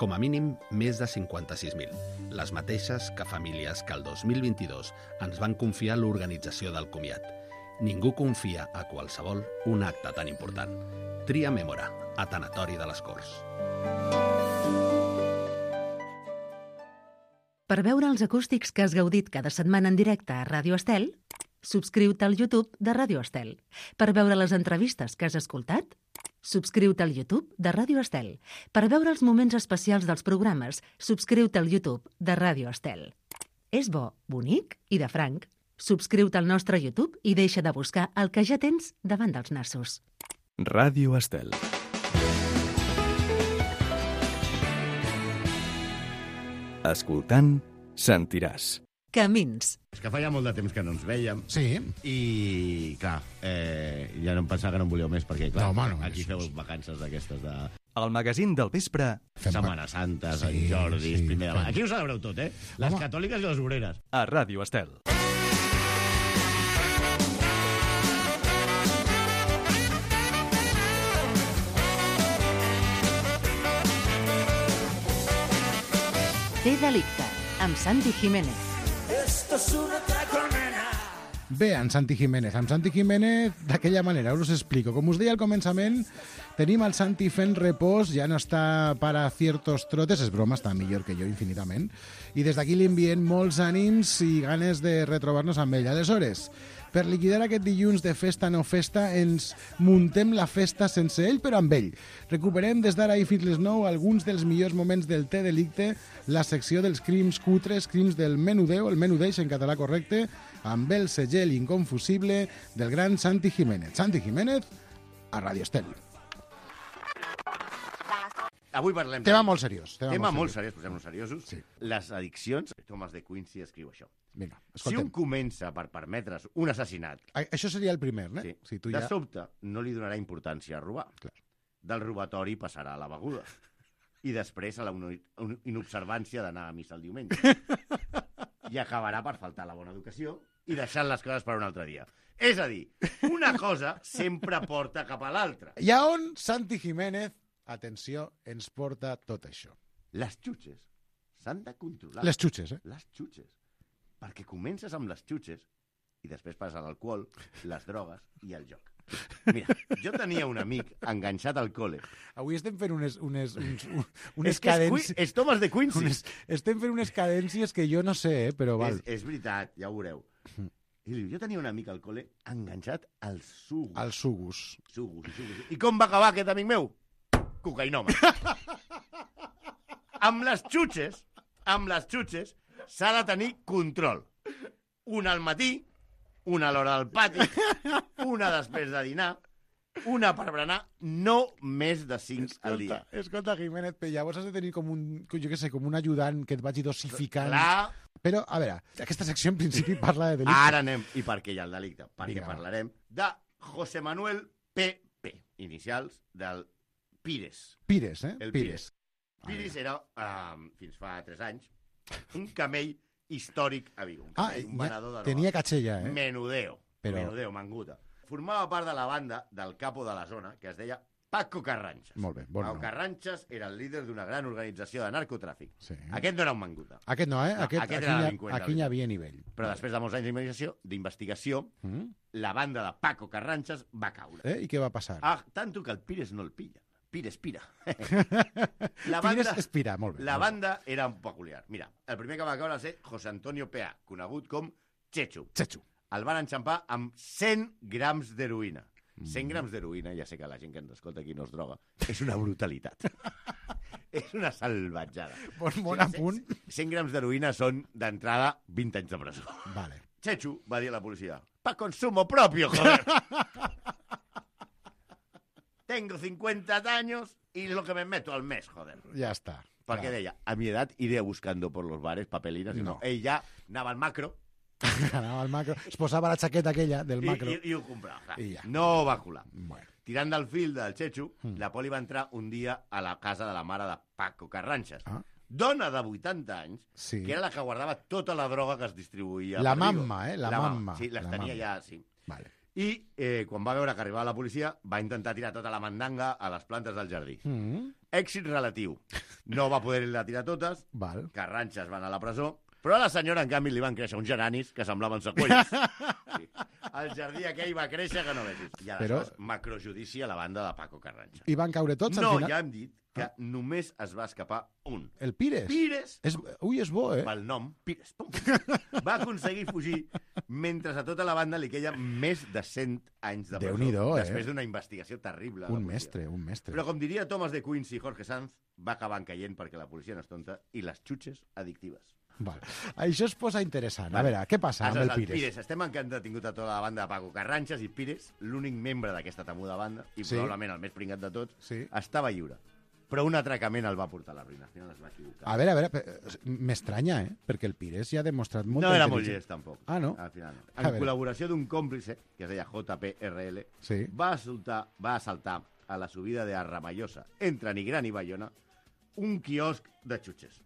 Com a mínim, més de 56.000. Les mateixes que famílies que el 2022 ens van confiar l'organització del comiat. Ningú confia a qualsevol un acte tan important. Tria Mèmora, a Tanatori de les Corts. Per veure els acústics que has gaudit cada setmana en directe a Ràdio Estel, subscriu-te al YouTube de Ràdio Estel. Per veure les entrevistes que has escoltat, subscriu-te al YouTube de Ràdio Estel. Per veure els moments especials dels programes, subscriu-te al YouTube de Ràdio Estel. És bo, bonic i de franc. Subscriu-te al nostre YouTube i deixa de buscar el que ja tens davant dels nassos. Ràdio Estel. Escoltant, sentiràs. Camins. És que feia molt de temps que no ens vèiem. Sí. I, clar, ja no em pensava que no em volíeu més, perquè, clar, No, home, no, aquí feu vacances d'aquestes de El magazín del vespre Setmana Santa, Sant Jordi, primer de l'any. Aquí ho celebreu tot, Les catòliques i les obreres. a Ràdio Estel. Té delicte, amb Santi Jiménez. Bé, en Santi Jiménez. Amb Santi Jiménez, d'aquella manera, us explico. Com us deia al començament, tenim el Santi fent repòs, ja no està para ciertos trotes, és broma, està millor que jo infinitament, i des d'aquí li enviem molts ànims i ganes de retrobar-nos amb ell. Aleshores, per liquidar aquest dilluns de festa no festa, ens muntem la festa sense ell, però amb ell. Recuperem des d'ara i fins les 9 alguns dels millors moments del Té Delicte, la secció dels crims cutres, crims del menudeo, el menudeix en català correcte, amb el segell inconfusible del gran Santi Jiménez. Santi Jiménez, a Ràdio Estel. Avui parlem... Tema molt seriós. Tema molt seriós, posem-nos seriosos. Sí. Les addiccions. Thomas de Quincy escriu això. Vinga, Si escoltem. un comença per permetre's un assassinat... Això seria el primer, eh? Sí. Si tu De ja... sobte, no li donarà importància a robar. Clar. Del robatori passarà a la beguda. I després a la inobservància d'anar a missa el diumenge. I acabarà per faltar la bona educació i deixant les coses per un altre dia. És a dir, una cosa sempre porta cap a l'altra. I a on Santi Jiménez, atenció, ens porta tot això? Les xutxes s'han de controlar. Les xutxes, Les xutxes. Perquè comences amb les xutxes i després passes a l'alcohol, les drogues i el joc. Mira, jo tenia un amic enganxat al col·le. Avui estem fent unes És que cadències... és Thomas de Quincy. Estem fent unes cadències que jo no sé, però val. És veritat, ja ho veureu. I diu, jo tenia un amic al col·le enganxat als sugus. Als sugus. Sugus. I com va acabar aquest amic meu? Cocainòman. Amb les xutxes s'ha de tenir control. Una al matí, una a l'hora del pati, una després de dinar, una per berenar, no més de 5 al dia. Escolta, Jiménez, però llavors has de tenir com un, jo què sé, com un ajudant que et vagi dosificant. Clar. Però, a veure, aquesta secció en principi parla de delicte. Ara anem. I per què hi ha el delicte? Perquè Vinga, parlarem de José Manuel P.P., inicials del Pires. Pires, El Pires. Pires era, fins fa 3 anys, un camell històric a Vigo. Un venedor de tenia catxella, Menudeo. Però... Menudeo, manguta. Formava part de la banda del capo de la zona, que es deia Paco Carranchas. Molt bé, bon Paco nom. Carranchas era el líder d'una gran organització de narcotràfic. Sí. Aquest no era un manguta. Aquest no, No, aquest era delinqüent. Aquí hi havia nivell. Però després de molts anys d'investigació, la banda de Paco Carranchas va caure. I què va passar? Tanto que el Pires no el pilla. Pires pira. Pires espira, molt bé. La banda era un peculiar. Mira, el primer que va caure va ser José Antonio P.A., conegut com Chechu. El van enxampar amb 100 grams d'heroïna. 100 grams d'heroïna, ja sé que la gent que ens escolta aquí no es droga, és una brutalitat. És una salvatjada. Bon apunt. 100 grams d'heroïna són, d'entrada, 20 anys de presó. Vale. Chechu va dir a la policia, pa consumo propio, joder. Tengo 50 años y lo que me meto al mes, joder. Ya está. Perquè deia, a mi edat iré buscando por los bares papelinas. No. Ell ja anava al macro. Anava al macro. Es posava la xaqueta aquella del macro. I ho comprava. I ja. No va colar. Bueno. Tirant del fil del Chechu, la poli va entrar un dia a la casa de la mare de Paco Carranchas. Dona de 80 anys, que era la que guardava tota la droga que es distribuïa. La mamma, La mamma. Sí, les tenia ja, sí. Vale. I quan va veure que arribava la policia, va intentar tirar tota la mandanga a les plantes del jardí. èxit relatiu. No va poder-la tirar totes, Val. Carranxes van a la presó, però a la senyora, en canvi, li van créixer uns geranis que semblaven seqüells. Sí. El jardí aquell va créixer que no vegis. I aleshores, macrojudici a la banda de Paco Carranxa. I van caure tots al No, final? ja hem dit que només es va escapar un. El Pires? Pires! Ui, és bo, Pel nom, Pires. Pum. Va aconseguir fugir mentre a tota la banda li queia més de 100 anys de presó. Déu-n'hi-do, Després d'una investigació terrible. Un mestre. Però com diria Thomas de Quincy i Jorge Sanz, va acabar caient perquè la policia no és tonta i les xutxes addictives. Val. Això es posa interessant. A veure, què passa amb el Pires? Estem que han detingut a tota la banda de Paco Carranxes i Pires, l'únic membre d'aquesta temuda banda, i probablement el més pringat de tots, estava lliure. Però un atracament el va portar a la ruïna. Al final es va equivocar. A veure, m'estranya, perquè el Pires ja ha demostrat molta No era molt llest, tampoc. Ah, no? Al final no. En col·laboració d'un còmplice, que es deia JPRL, va assaltar a la subida de Arramallosa, entre Nigrán i Bayona, un quiosc de xutxes.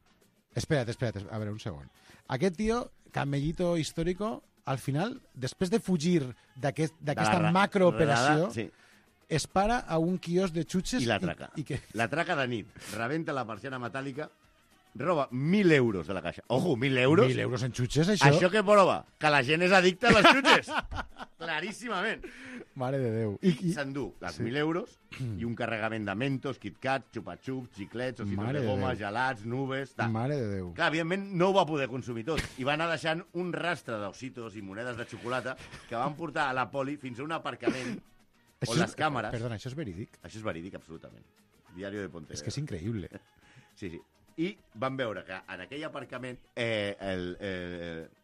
Espera't, a veure, un segon. Aquest tio, camellito histórico, al final, després de fugir d'aquesta macrooperació, es para a un quiosc de xutxes i l'atraca. L'atraca de nit, rebenta la persiana metàl·lica, roba 1.000 euros de la caixa. Ojo, 1.000 euros? 1.000 euros en xutxes, això? Això què prova? Que la gent és addicta a les xutxes. Claríssimament. Mare de Déu. I s'endú les 1.000 euros i un carregament de Mentos, KitKat, xupa-xups, xiclets, ositos de goma, gelats, nubes... Mare de Déu. Clar, evidentment no ho va poder consumir tot. I va anar deixant un rastre d'ositos i monedes de xocolata que van portar a la poli fins a un aparcament on les càmeres... Perdona, això és verídic? Això és verídic, absolutament. Diario de Pontevedra. És que és increïble. Sí. I van veure que en aquell aparcament el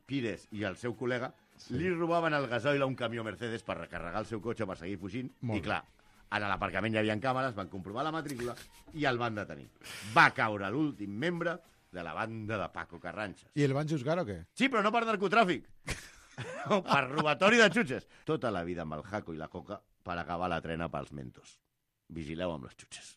Pires i el seu col·lega li robaven el gasoil a un camió Mercedes per recarregar el seu cotxe per seguir fugint. I clar, a l'aparcament hi havia càmeres, van comprovar la matrícula i el van detenir. Va caure l'últim membre de la banda de Paco Carranxes. I el van juzgar o què? Sí, però no per narcotràfic. Per robatori de xutxes. Tota la vida amb el Jaco i la Coca per acabar la trena pels Mentos. Vigileu amb les xutxes.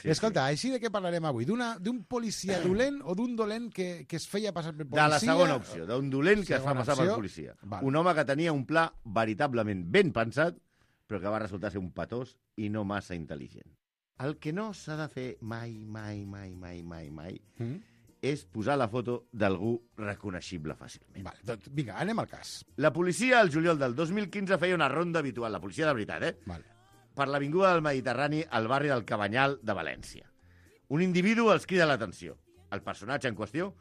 Escolta, així de què parlarem avui? D'un policia dolent o d'un dolent que es feia passar per policia? De la segona opció, d'un dolent que es fa passar per policia. Un home que tenia un pla veritablement ben pensat, però que va resultar ser un patós i no massa intel·ligent. El que no s'ha de fer mai és posar la foto d'algú reconeixible fàcilment. Doncs vinga, anem al cas. La policia, al juliol del 2015, feia una ronda habitual, la policia de veritat, per l'avinguda del Mediterrani al barri del Cabanyal de València. Un individu els crida l'atenció. El personatge en qüestió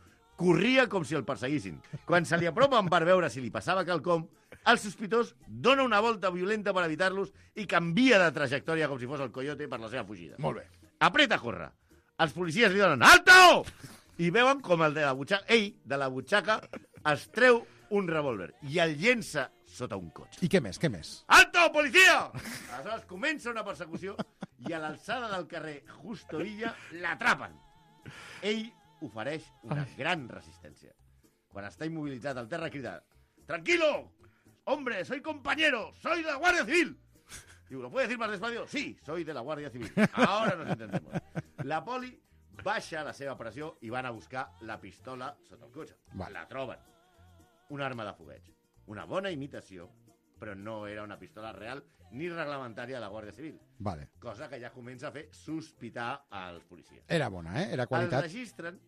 corria com si el perseguissin. Quan se li apropen per veure si li passava quelcom, el sospitós dona una volta violenta per evitar-los i canvia de trajectòria com si fos el coyote per la seva fugida. Molt bé. Apreta a córrer. Els policies li donen «Alto!» i veuen com ell, de la butxaca, es treu un revòlver i el llença sota un cotxe. I què més, què més? Alto, policia! Aleshores comença una persecució i a l'alçada del carrer Justo Villa l'atrapen. Ell ofereix una gran resistència. Quan està immobilitzat al terra crida «Tranquilo! Hombre, soy compañero, soy de la Guardia Civil!» Digo, ¿lo puede decir más despacio? Sí, soy de la Guardia Civil. Ahora nos entendemos. La poli baixa la seva pressió i van a buscar la pistola sota el cotxe. La troben. Una arma de fogueig. Una bona imitació, però no era una pistola real ni reglamentària de la Guàrdia Civil. Vale. Cosa que ja comença a fer sospitar als policies. Era bona, Era qualitat. El registren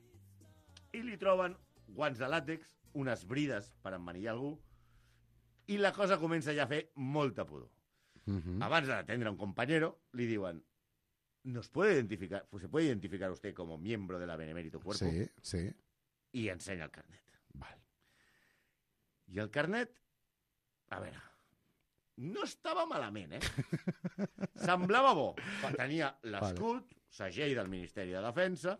i li troben guants de làtex, unes brides per emmanillar algú, i la cosa comença ja a fer molta pudor. Abans de detendre un compañero, li diuen ¿se puede identificar usted como miembro de la Benemérito Cuerpo? Sí. I ensenya el carnet. I el carnet, a veure, no estava malament, Semblava bo. Tenia l'escut, segell del Ministeri de Defensa,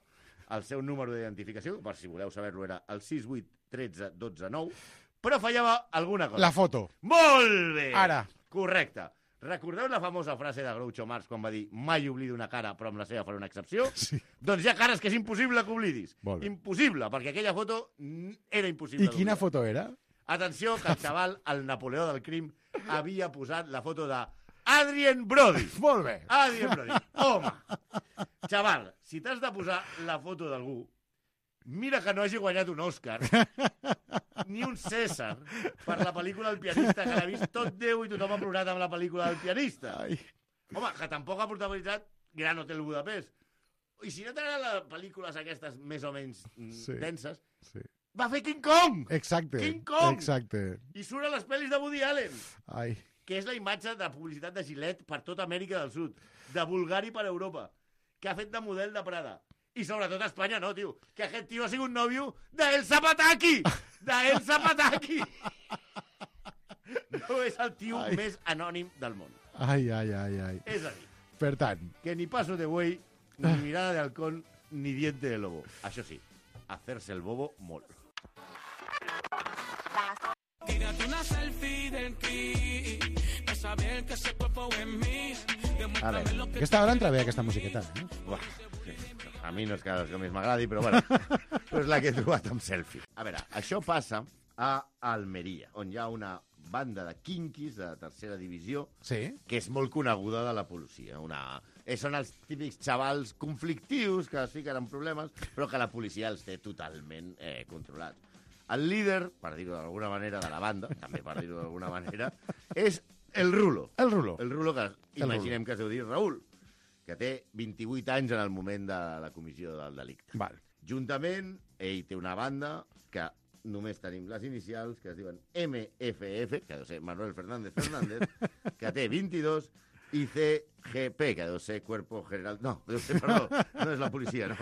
el seu número d'identificació, per si voleu saber-lo, era el 6813 12 9, però fallava alguna cosa. La foto. Molt bé! Ara. Correcte. Recordeu la famosa frase de Groucho Marx quan va dir «Mai oblido una cara, però amb la seva faré una excepció»? Sí. Doncs hi ha cares que és impossible que oblidis. Impossible, perquè aquella foto era impossible d'oblidar. I quina foto era? Atenció, que el xaval, el Napoleó del crim, havia posat la foto de Adrien Brody. Molt bé. Adrien Brody. Home, xaval, si t'has de posar la foto d'algú, mira que no hagi guanyat un Òscar ni un César per la pel·lícula El pianista, que l'ha vist tot Déu i tothom ha plorat amb la pel·lícula del pianista. Home, que tampoc ha protagonitzat Gran Hotel Budapest. I si no t'agraden les pel·lícules aquestes més o menys denses, va fer King Kong! Exacte. King Kong! Exacte. I surt a les pel·lis de Woody Allen. Ai. Que és la imatge de publicitat de Gillette per tota Amèrica del Sud, de Bulgari per Europa, que ha fet de model de Prada. I sobretot a Espanya no, tio. Que aquest tio ha sigut nòvio d'Elsa Pataki! D'Elsa Pataki! No és el tio més anònim del món. Ai. És a dir, per tant, que ni paso de buey, ni mirada de halcón, ni diente de lobo. Això sí, hacerse el bobo molt. Tírate una selfie del ki, para saber que ese cuerpo es mío. a veure, aquesta hora entra bé aquesta musiqueta, eh? Uah, sí. A mi no és que més m'agradi, però bueno, però és la que he trobat amb selfie. A veure, això passa a Almeria, on hi ha una banda de quinquis de tercera divisió que és molt coneguda de la policia. Són els típics xavals conflictius que es fiquen en problemes, però que la policia els té totalment controlats. El líder, per dir-ho d'alguna manera, de la banda, també per dir-ho d'alguna manera, és el Rulo. El Rulo. El Rulo, que imaginem que es deu dir Raül, que té 28 anys en el moment de la comissió del delicte. Val. Juntament, ell té una banda que només tenim les inicials, que es diuen MFF, que deu ser Manuel Fernández Fernández, que té 22, i CGP, que deu ser Cuerpo General... No, deu ser, perdó, no és la policia, no.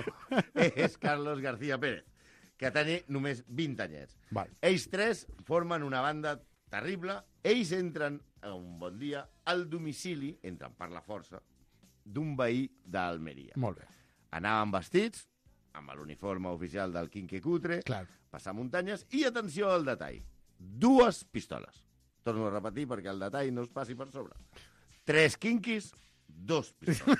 És Carlos García Pérez, que té només 20 anyets. Val. Ells tres formen una banda terrible. Ells entren un bon dia al domicili, entren per la força, d'un veí d'Almeria. Molt bé. Anaven vestits, amb l'uniforme oficial del Quinque Cutre, passar muntanyes, i atenció al detall. 2 pistoles. Torno a repetir perquè el detall no es passi per sobre. 3 quinquis, 2 pistoles.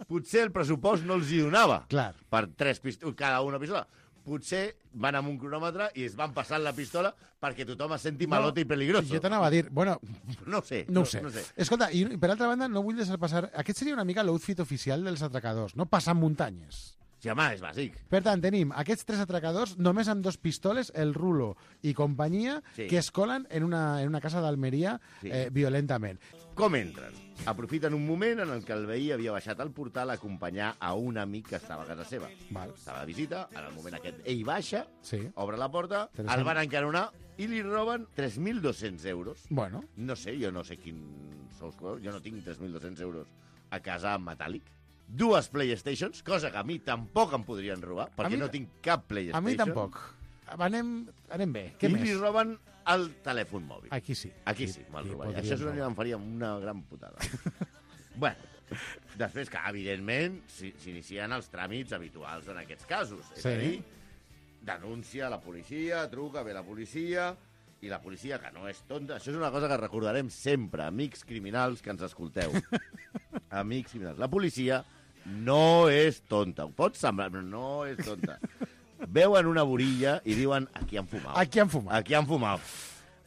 Potser el pressupost no els hi donava per 3 pistoles, cada una pistola. Potser van amb un cronòmetre i es van passant la pistola perquè tothom es senti malote i peligroso. Jo t'anava a dir, bueno... No ho sé. Escolta, i per altra banda, no vull deixar passar... Aquest seria una mica l'outfit oficial dels atracadors, no? Passar muntanyes. Sí, home, és bàsic. Per tant, tenim aquests 3 atracadors, només amb 2 pistoles, el Rulo i companyia, que es colen en una casa d'Almeria violentament. Com entren? Aprofiten un moment en el que el veí havia baixat al portal a acompanyar a un amic que estava a casa seva. Estava de visita, en el moment aquest ell baixa, obre la porta, el van encaronar i li roben 3.200 euros. Bueno. No sé, jo no sé quin sous, jo no tinc 3.200 euros a casa en metàl·lic. 2 PlayStations, cosa que a mi tampoc em podrien robar, perquè no tinc cap PlayStation. A mi tampoc. Anem bé. Què més? I li roben el telèfon mòbil. Aquí sí. Aquí sí, me'l robaria. Això em faria una gran putada. Bueno, després que, evidentment, s'inicien els tràmits habituals en aquests casos. És a dir, denúncia a la policia, truca, ve la policia, i la policia, que no és tonta... Això és una cosa que recordarem sempre, amics criminals que ens escolteu. Amics criminals. La policia no és tonta. Ho pot semblar, però no és tonta. Veuen una borilla i diuen aquí han fumat. Aquí han fumat. Aquí han fumat.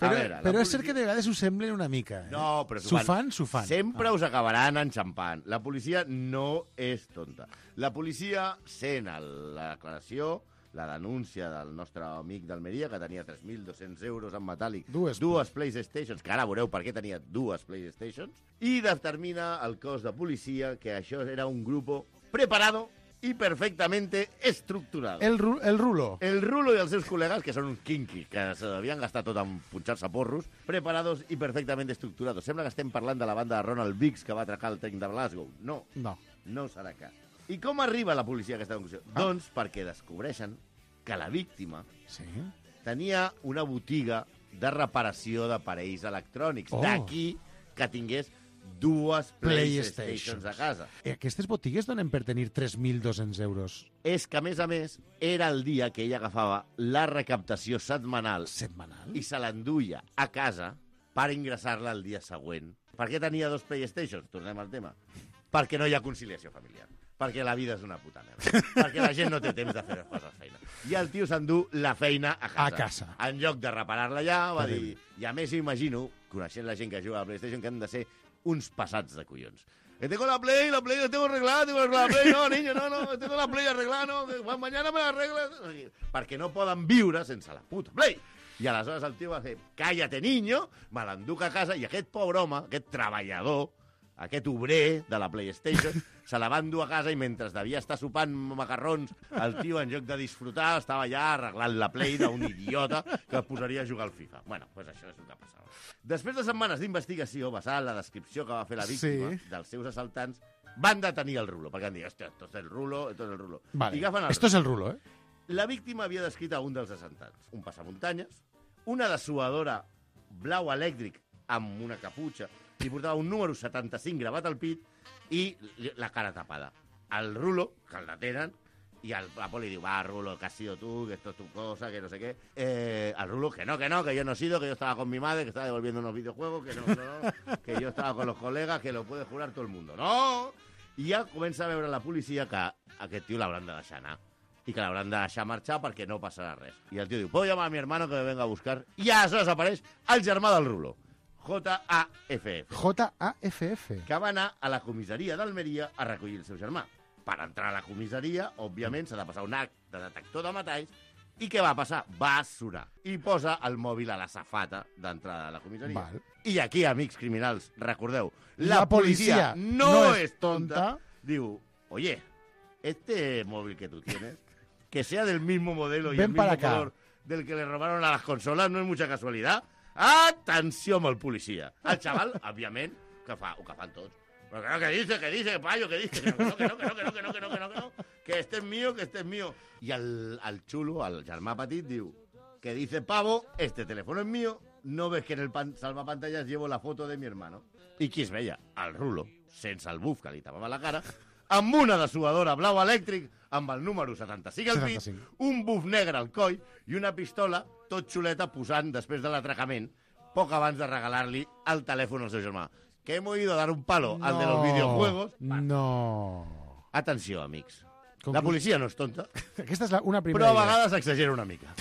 Però és cert que de vegades ho semblen una mica. No, però s'ho fan. Sempre us acabaran enxampant. La policia no és tonta. La policia sent la declaració, la denúncia del nostre amic d'Almeria, que tenia 3.200 euros en metàl·lic, 2 PlayStations, que ara veureu per què tenia 2 PlayStations, i determina el cos de policia que això era un grupo preparado y perfectamente estructurado. El Rulo. El Rulo i els seus col·legues, que són uns quinquis, que s'havien gastat tot en punxar-se porros, preparados y perfectamente estructurados. Sembla que estem parlant de la banda de Ronald Biggs que va atracar el tren de Glasgow. No. No serà cas. I com arriba la policia a aquesta conclusió? Doncs perquè descobreixen que la víctima tenia una botiga de reparació d'aparells electrònics. D'aquí que tingués 2 PlayStations a casa. Aquestes botigues donen per tenir 3.200 euros. És que, a més, era el dia que ella agafava la recaptació setmanal i se l'enduia a casa per ingressar-la el dia següent. Per què tenia 2 PlayStations? Tornem al tema. Perquè no hi ha conciliació familiar. Perquè la vida és una puta merda. Perquè la gent no té temps de fer les coses feina. I el tio s'endú la feina a casa. En lloc de reparar-la allà, va dir... I a més, imagino, coneixent la gent que juga a la PlayStation, que han de ser uns passats de collons. Que tengo la Play la tengo arreglada, la Play, no, niño, no, tengo la Play arreglada, no, mañana me la arreglas. Perquè no poden viure sense la puta Play. I aleshores el tio va fer, cállate, niño, me l'enduc a casa, i aquest pobre home, aquest treballador, aquest obrer de la PlayStation, se la va endur a casa i mentre devia estar sopant macarrons, el tio, en lloc de disfrutar, estava ja arreglant la Play d'un idiota que posaria a jugar al FIFA. Bueno, doncs això és el que passava. Després de setmanes d'investigació, basada en la descripció que va fer la víctima dels seus assaltants, van detenir el Rulo, perquè han dit, hòstia, esto es el Rulo. Vale. I agafen el Esto es el Rulo, eh? La víctima havia descrit a un dels assaltants, un passamuntanyes, una dessuadora blau elèctric amb una caputxa, li portava un número 75 gravat al pit i la cara tapada. El Rulo, que el detenen, y la poli diu, va, Rulo, que has sido tú, que esto es tu cosa, que no sé qué. El Rulo, que no, que yo no he sido, que yo estaba con mi madre, que estaba devolviendo unos videojuegos, que no, que yo estaba con los colegas, que lo puede jurar todo el mundo. ¡No! I ja comença a veure la policia que aquest tio l'hauran de deixar anar i que l'hauran de deixar marxar perquè no passarà res. I el tio diu, puedo llamar a mi hermano que me venga a buscar. I aleshores apareix el germà del Rulo, J.A.F.F. J.A.F.F. Que va anar a la comissaria d'Almeria a recollir el seu germà. Per entrar a la comissaria, òbviament, s'ha de passar un acte de detector de metalls. I què va passar? Va surar. I posa el mòbil a la safata d'entrada a la comissaria. Val. I aquí, amics criminals, recordeu, la policia no es tonta. Diu, oye, este móvil que tú tienes, que sea del mismo modelo y Ven el mismo para acá. color del que le robaron a las consolas, no es mucha casualidad. Atenció amb el policia. El xaval, òbviament, que fa, o que fan tots. Pero claro, que dice, payo, que dice, que no, que este es mío. Y al chulo, al germà petit, diu, que dice pavo, este teléfono es mío, no ves que en el salvapantallas llevo la foto de mi hermano. I qui es veia? El Rulo, sense el buf que li tapava la cara, amb una dessuadora blau elèctric, amb el número 75 al pit, un buf negre al coll i una pistola tot xuleta posant, després de l'atracament, poc abans de regalar-li el telèfon al seu germà. Que hemos ido a dar un palo al de los videojuegos. No. Atenció, amics. La policia no és tonta. Aquesta és una primera però a idea. vegades exagera una mica.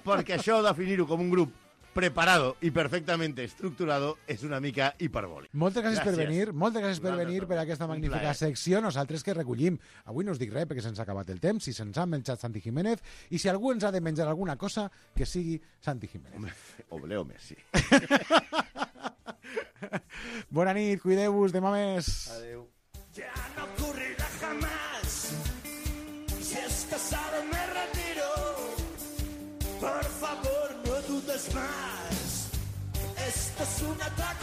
Perquè això, definir-ho com un grup preparado y perfectamente estructurado, és una mica hiperbòlic. Moltes gràcies per venir, per a aquesta magnífica secció. Nosaltres que recollim. Avui no us dic res perquè se'ns ha acabat el temps, si se'ns ha menjat Santi Jiménez, i si algú ens ha de menjar alguna cosa, que sigui Santi Jiménez. O Leo Messi. Bona nit, cuideu-vos, demà més. Adéu. Ya no ocurrirá jamás. Si estás casado me retiro. Por favor, no dudes más. Esto es un ataque.